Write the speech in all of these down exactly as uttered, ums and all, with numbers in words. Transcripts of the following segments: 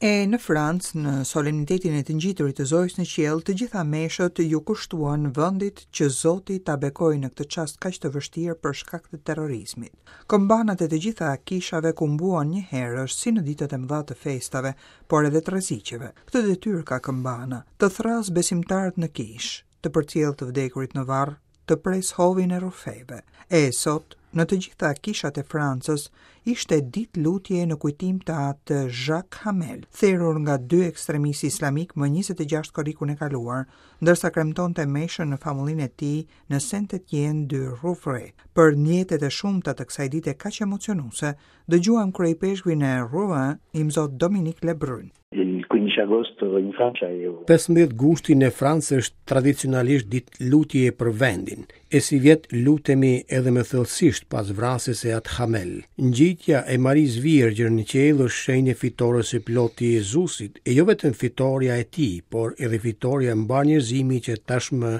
E në Francë, në solemnitetin e të ngjiturit të Zojës në qiell, të gjitha meshët ju kushtuan vendit që Zoti ta bekojë në këtë çast kaq të vështirë për shkak të terrorizmit. Këmbanat e të gjitha kishave kumbuan një herë si në ditët e mëdha të festave, por edhe të rreziqeve. Këtë detyrë ka këmbana, të thras besimtarët në kishë, të përcjell të vdekurit në varr, të pres hovin e rrufeve. E sot, në të gjitha kishat e Francës, ishte ditë lutje në kujtim të atë Jacques Hamel, therur nga dy ekstremistë islamik më njëzet e gjashtë korrikun e kaluar, ndërsa kremtonte meshën në famullinë e tij në Saint-Étienne du Rouvray. Për ndjenjat e shumta të kësaj dite kaq emocionuese, dëgjuam kryeipeshkvin e Rouen, Imzot Dominique Lebrun. Il quindici agosto in Francia è pesëmbëdhjetë gushti në Francë është tradicionalisht ditë lutje për vendin. E sivjet lutemi edhe më thellësisht pas vrasjes së At Hamel. Ngjitja e Marisë Virgjër në qiell është shenjë e fitores së plotë të Jezusit, e jo vetëm fitorja e tij, por edhe fitorja e mbarë njerëzimit që tashmë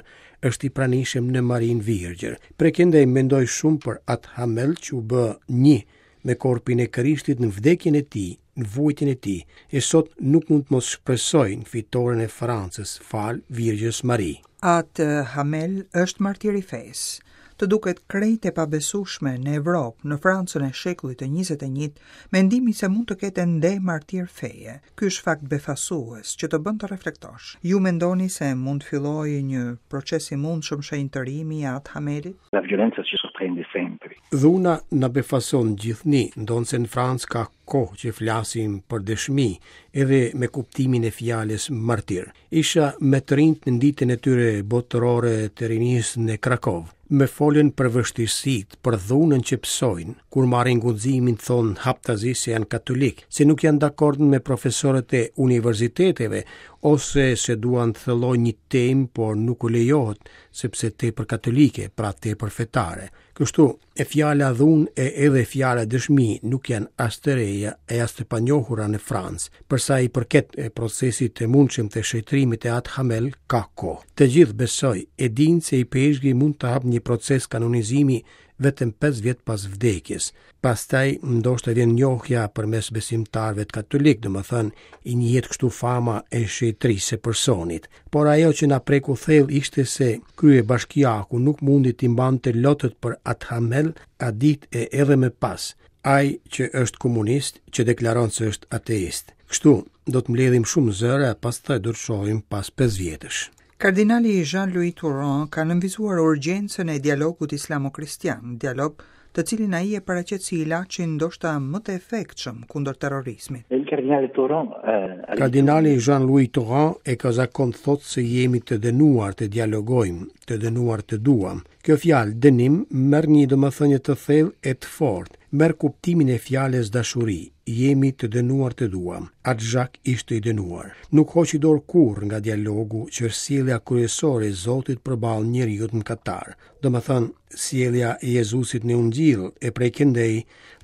është i pranishëm në Marinë Virgjër. Prej këndej mendoj shumë për At Hamel që u bë një me korpin e Krishtit në vdekjen e tij, në vuajtjen e tij, e sot nuk mund të mos shpresoj në fitoren e Francës, fal Virgjës Mari. Atë Hamel është martir i fesë. Të duket krejt e pabesueshme në Evropë, në Francën e shekullit të njëzet e një, mendimi se mund të ketë ende martir feje. Ky është fakt befasues që të bën të reflektosh. Ju mendoni se mund të fillojë një proces i mundshëm shenjtërimi i Atë Hamelit? La violenza ci sorprende sempre. Dhuna na befason gjithnjë, ndonëse në Francë ka kohë që flasim për dëshmi, edhe me kuptimin e fjalës martir. Isha me të rinjt në ditën e tyre botërore të rinisë në Krakov. Me folën për vështirësitë, për dhunën që pësojnë, kur marrin guximin thonë haptazi se janë katolik, se nuk janë dakord me profesorët e universiteteve, ose se duan të thellojnë një temë, por nuk u lejohet, sepse tepër katolike, pra tepër fetare. Kështu, e fjala dhunë e edhe fjala dëshmi nuk janë as të reja e as të panjohura në Francë. Për sa i përket e procesit të mundshëm të shenjtërimit të Atë Hamel, ka kohë. Të gjithë besoj e dinë se ipeshkvi mund të hapë një proces kanonizimi vetëm pesë vjet pas vdekjes. Pastaj ndoshta vjen njohja përmes besimtarëve katolik, domethënë i njihet kështu fama e shenjtërisë së personit. Por ajo që na preku thellë ishte se kryebashkiaku nuk mundi t'i mbante lotët për Atë Hamel atë ditë e edhe më pas. Ai që është komunist, që deklaron se është ateist. Kështu do të mbledhim shumë zëra, pastaj do të shohim pas pesë vjetësh. Kardinali Jean-Louis Tauran ka nënvizuar urgjencën e dialogut islamo-kristian, dialog të cilin ai e paraqet si ilaçin ndoshta më të efektshëm kundër terrorizmit. Il cardinale Tauran eh, Kardinali Jean-Louis Tauran e ka zakon thotë se jemi të dënuar të dialogojmë, të dënuar të duam. Kjo fjalë dënim merr një domethënie të thellë e të fortë, merr kuptimin e fjalës dashuri. Jemi të dënuar të duam. Atë Jacques ishte i dënuar. Nuk hoqi dorë kurrë nga dialogu, që është sjellja kryesore e Zotit përballë njeriut mëkatar. Domethënë, sjellja e Jezusit në Ungjill e prej këndej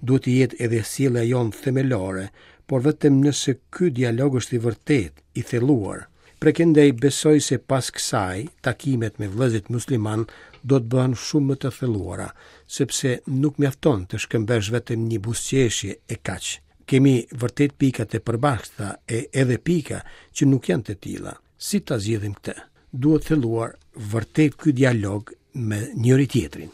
duhet të jetë edhe sjellja jonë themelore, por vetëm nëse ky dialog është i vërtet, i thelluar. Prej këndej besoj se pas kësaj, takimet me vëllezërit musliman do të bëhen shumë më të thelluara, sepse nuk mjafton të shkëmbesh vetëm një buzëqeshje e kaq. Kemi vërtet pika të përbashkëta e edhe pika që nuk janë të tilla. Si ta zgjidhim këtë? Duhet thelluar vërtet ky dialog me njëri tjetrin.